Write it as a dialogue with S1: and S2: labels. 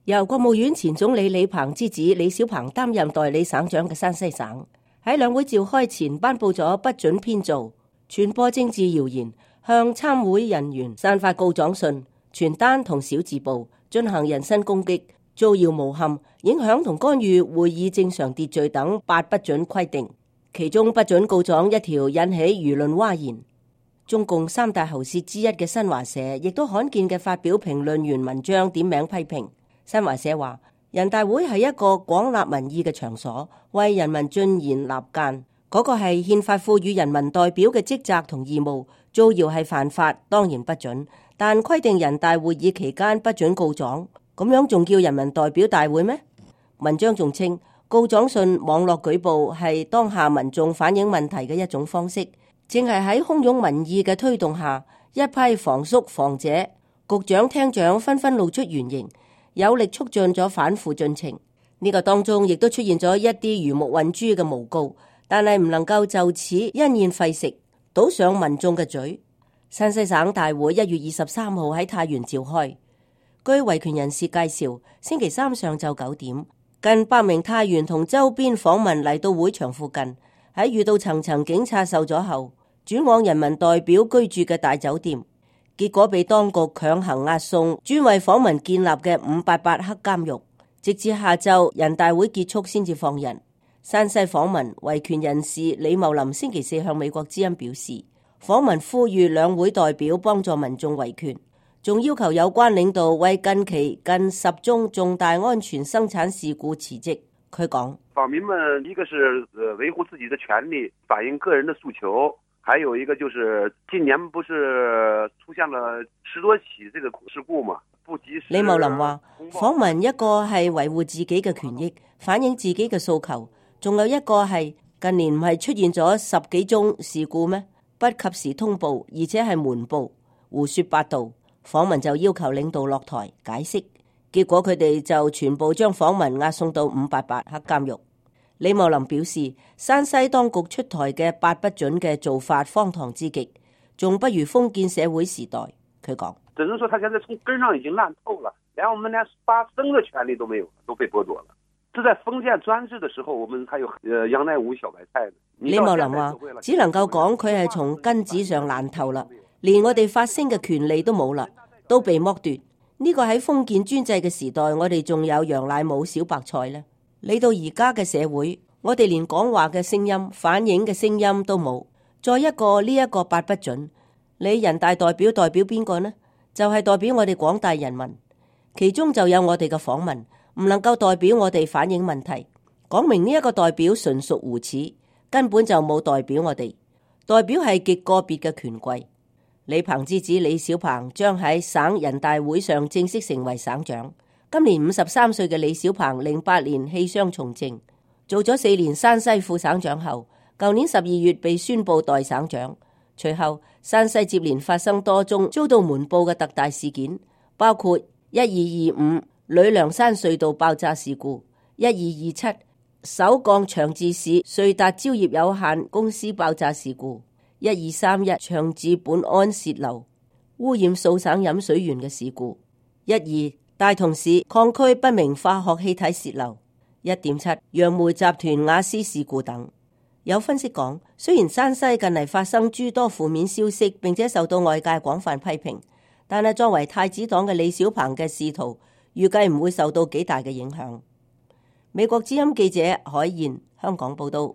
S1: 由國務院前總理李鵬之子李小鵬擔任代理省長嘅山西省，喺兩會召開前頒布咗不准編造、傳播政治謠言、向參會人員散發告狀信、傳單同小字報，進行人身攻擊、造謠誣陷、影響同干預會議正常秩序等8不准規定。其中不准告狀一條引起輿論譁然。中共三大喉舌之一嘅新華社亦都罕見嘅發表評論員文章，點名批評。新華社話：人大會係一個廣納民意嘅場所，為人民進言立諫，嗰個係憲法賦予人民代表嘅職責同義務。造謠係犯法，當然不准，但規定人大會議期間不准告狀，咁樣仲叫人民代表大會咩？文章仲稱，告狀信網絡舉報係當下民眾反映問題嘅一種方式，正係喺洶湧民意嘅推動下，一批防肅防者、局長廳長紛紛露出原形，有力促進咗反腐進程。呢個當中亦都出現咗一啲魚目混珠嘅誣告，但係唔能夠就此因噎廢食，倒上民眾嘅嘴。山西省大會1月23號喺太原召開，據維權人士介紹，星期三上晝9點，近100名太原同周邊訪民嚟到會場附近，喺遇到層層警察受阻後，轉往人民代表居住嘅大酒店，結果被當局強行押送專為訪民建立嘅588黑監獄，直至下晝人大會結束先至放人。山西訪民維權人士李茂林星期四向美國之音表示，訪民呼籲兩會代表幫助民眾維權，仲要求有關領導為近期近10宗重大安全生產事故辭職。佢講：
S2: 訪民們一個是維護自己的權利，反映個人的訴求，還有一個就是近年不是出現了10多起這個事故嘛，不及時。
S1: 李茂林話：訪民一個係維護自己嘅權益，反映自己嘅訴求，仲有一個係近年唔係出現咗10幾宗事故咩？不及時通報，而且係瞞報，胡說八道。訪民就要求領導落台解釋，結果佢哋就全部將訪民押送到588黑監獄。李茂林表示，山西當局出台嘅8不准嘅做法荒唐之極，仲不如封建社會時代。佢講：
S2: 只能說他現在從根上已經爛透了，連我們連發聲的權利都沒有，都被剝奪了。是在封建專制的時候，我們還有楊乃武小白菜。
S1: 李茂林話：只能夠講佢係從根子上爛透啦，連我哋發聲嘅權利都冇啦，都被剝奪。呢個喺封建專制嘅時代，我哋仲有楊乃武小白菜呢。嚟到而家嘅社會，我哋連講話嘅聲音、反映嘅聲音都冇。再一個呢一個8不准，你人大代表代表邊個呢？就係代表我哋廣大人民，其中就有我哋嘅訪民，唔能夠代表我哋反映問題。講明呢一個代表純屬胡扯，根本就冇代表我哋，代表係極個別嘅權貴。李鵬之子李小鵬將喺省人大會上正式成為省長。今年53歲嘅李小鵬08年棄傷從政，做咗4年山西副省長後，舊年12月被宣布代省長。隨後山西接連發生多宗遭到瞞報嘅特大事件，包括1225呂梁山隧道爆炸事故、1227首鋼長治市瑞達蕉業有限公司爆炸事故、1231長治本安洩漏污染數省飲水源嘅事故、12大同市礦區不明化學氣體洩漏、1.7楊梅集團瓦斯事故等。有分析講，雖然山西近嚟發生諸多負面消息，並且受到外界廣泛批評，但係作為太子黨嘅李小鵬嘅仕途，預計唔會受到幾大嘅影響。美國之音記者海燕香港報道。